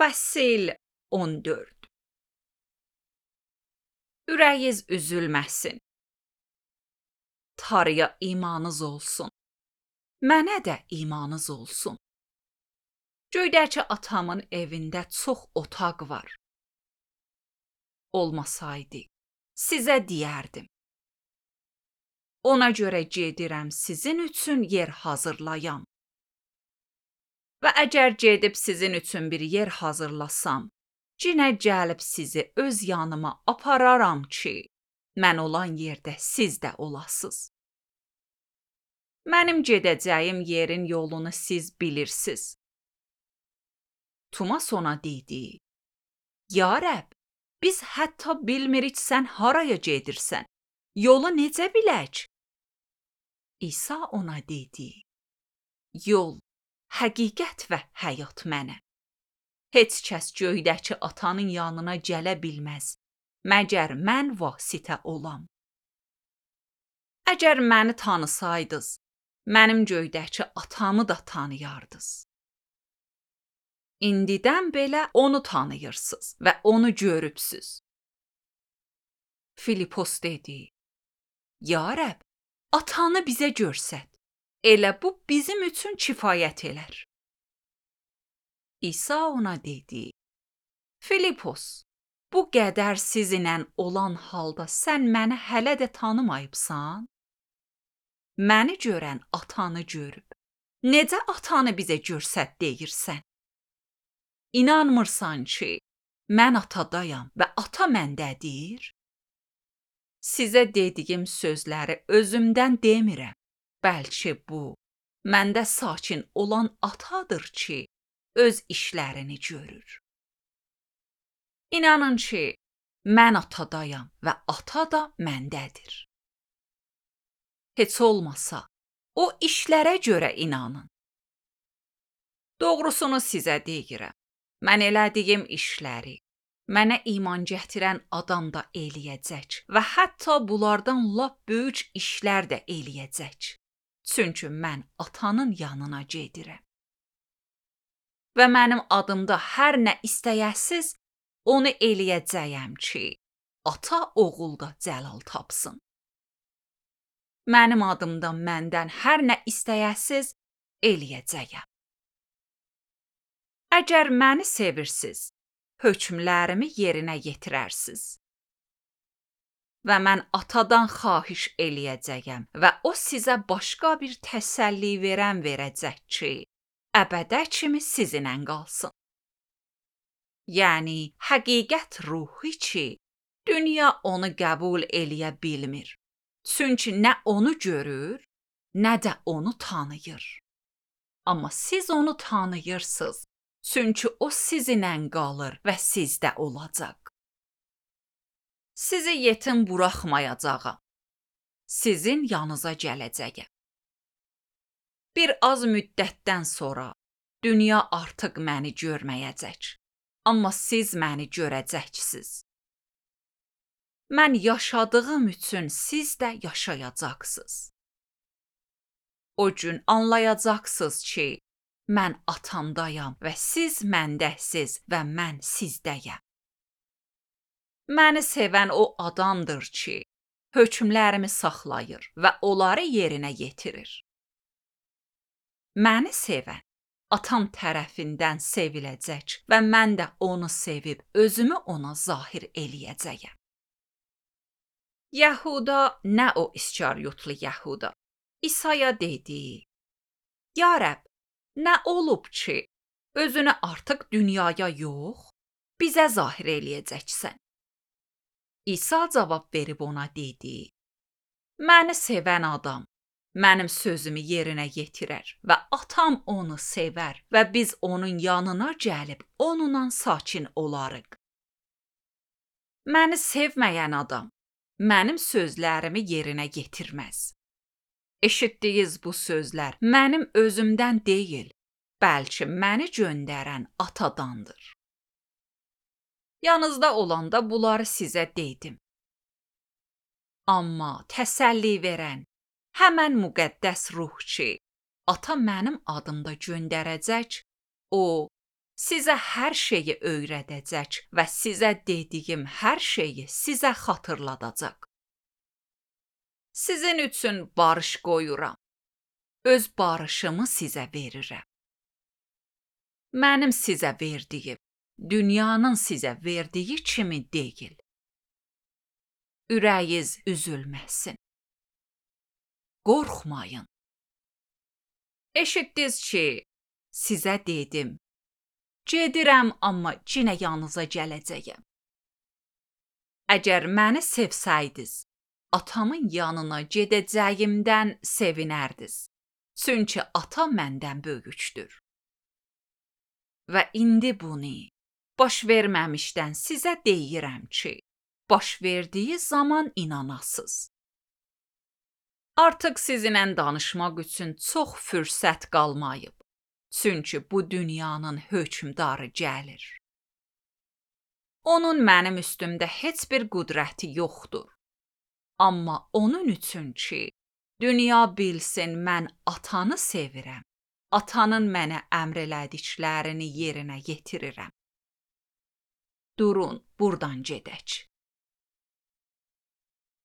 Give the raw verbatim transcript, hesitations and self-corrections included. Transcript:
Fəsil on dörd. Ürəyiz üzülməsin. Tanrıya imanınız olsun. Mənə də imanınız olsun. Göydəki atamın evində çox otaq var. Olmasaydı, sizə deyərdim. Ona görə gedirəm sizin üçün yer hazırlayam. Və əgər gedib sizin üçün bir yer hazırlasam, yenə gəlib sizi öz yanıma apararam ki, mən olan yerdə siz də olasınız. Mənim gedəcəyim yerin yolunu siz bilirsiniz. Tumas ona dedi, Ya Rəbb, biz hətta bilmirik sən haraya gedirsən, yolu necə bilək? İsa ona dedi, Yol, həqiqət və həyat mənəm. Heç kəs göydəki atanın yanına gələ bilməz, məgər mən vasitə olam. Əgər məni tanısaydınız, mənim göydəki atamı da tanıyardınız. İndidən belə onu tanıyırsınız və onu görübsünüz. Filipos dedi, Ya Rəbb, atanı bizə görsət. Elə bu bizim üçün kifayət elər. İsa ona dedi, Filipos, bu qədər sizinlə olan halda sən məni hələ də tanımayıbsan? Məni görən atanı görüb. Necə atanı bizə görsət deyirsən? İnanmırsan ki, mən atadayam və ata məndədir? Sizə dediyim sözləri özümdən demirəm. Bəlkə bu, məndə sakin olan atadır ki, öz işlərini görür. İnanın ki, mən atadayam və ata da məndədir. Heç olmasa, o işlərə görə inanın. Doğrusunu sizə deyirəm, mən elədiyim işləri, mənə iman gətirən adam da eləyəcək və hətta bunlardan lap böyük işlər də eləyəcək. Çünki mən atanın yanına gedirəm. Və mənim adımda hər nə istəyəsiz, onu eləyəcəyəm ki, ata oğulda cəlal tapsın. Mənim adımda məndən hər nə istəyəsiz, eləyəcəyəm. Əgər məni sevirsiniz, hökmlərimi yerinə yetirərsiniz. Və mən atadan xahiş eləyəcəyəm və o sizə başqa bir təsəlli verən verəcək ki, əbədə kimi sizinlə qalsın. Yəni, həqiqət ruhu ki, dünya onu qəbul eləyə bilmir. Çünki nə onu görür, nə də onu tanıyır. Amma siz onu tanıyırsınız, çünki o sizinlə qalır və sizdə olacaq. Sizi yetim buraxmayacağam. Sizin yanınıza gələcəyəm. Bir az müddətdən sonra dünya artıq məni görməyəcək. Amma siz məni görəcəksiniz. Mən yaşadığım üçün siz də yaşayacaqsınız. O gün anlayacaqsınız ki, mən atamdayam və siz məndəsiz və mən sizdəyəm. Məni sevən o adamdır ki, hökmlərimi saxlayır və onları yerinə yetirir. Məni sevən atam tərəfindən seviləcək və mən də onu sevib özümü ona zahir eləyəcəyəm. Yahuda, nə o İskariyotlu Yahuda, İsaya dedi, Ya Rəbb, nə olub ki, özünü artıq dünyaya yox, bizə zahir eləyəcəksən. İsa cavab verib ona dedi, Məni sevən adam mənim sözümü yerinə yetirər və atam onu sevər və biz onun yanına gəlib onunla sakin olarıq. Məni sevməyən adam mənim sözlərimi yerinə yetirməz. Eşitdiyiniz bu sözlər mənim özümdən deyil, bəlkə məni göndərən atadandır. Yanınızda olanda bunları sizə dedim. Amma təsəlli verən, həmən müqəddəs ruh ki, ata mənim adımda göndərəcək, o sizə hər şeyi öyrədəcək və sizə dediyim hər şeyi sizə xatırladacaq. Sizin üçün barış qoyuram. Öz barışımı sizə verirəm. Mənim sizə verdiyim, dünyanın sizə verdiyi kimi deyil. Ürəyiniz üzülməsin. Qorxmayın. Eşitdiniz ki, sizə dedim, gedirəm, amma yenə yanınıza gələcəyəm. Əgər məni sevsəydiniz, atamın yanına gedəcəyimdən sevinərdiniz. Çünki ata məndən böyükdür. Və indi bunu baş verməmişdən sizə deyirəm ki, baş verdiyi zaman inanasınız. Artıq sizinlə danışmaq üçün çox fürsət qalmayıb. Çünki bu dünyanın hökmdarı gəlir. Onun mənim üstümdə heç bir qüdrəti yoxdur. Amma onun üçün ki, dünya bilsin mən atanı sevirəm, atanın mənə əmr elədiklərini yerinə yetirirəm. Durun, buradan gedək.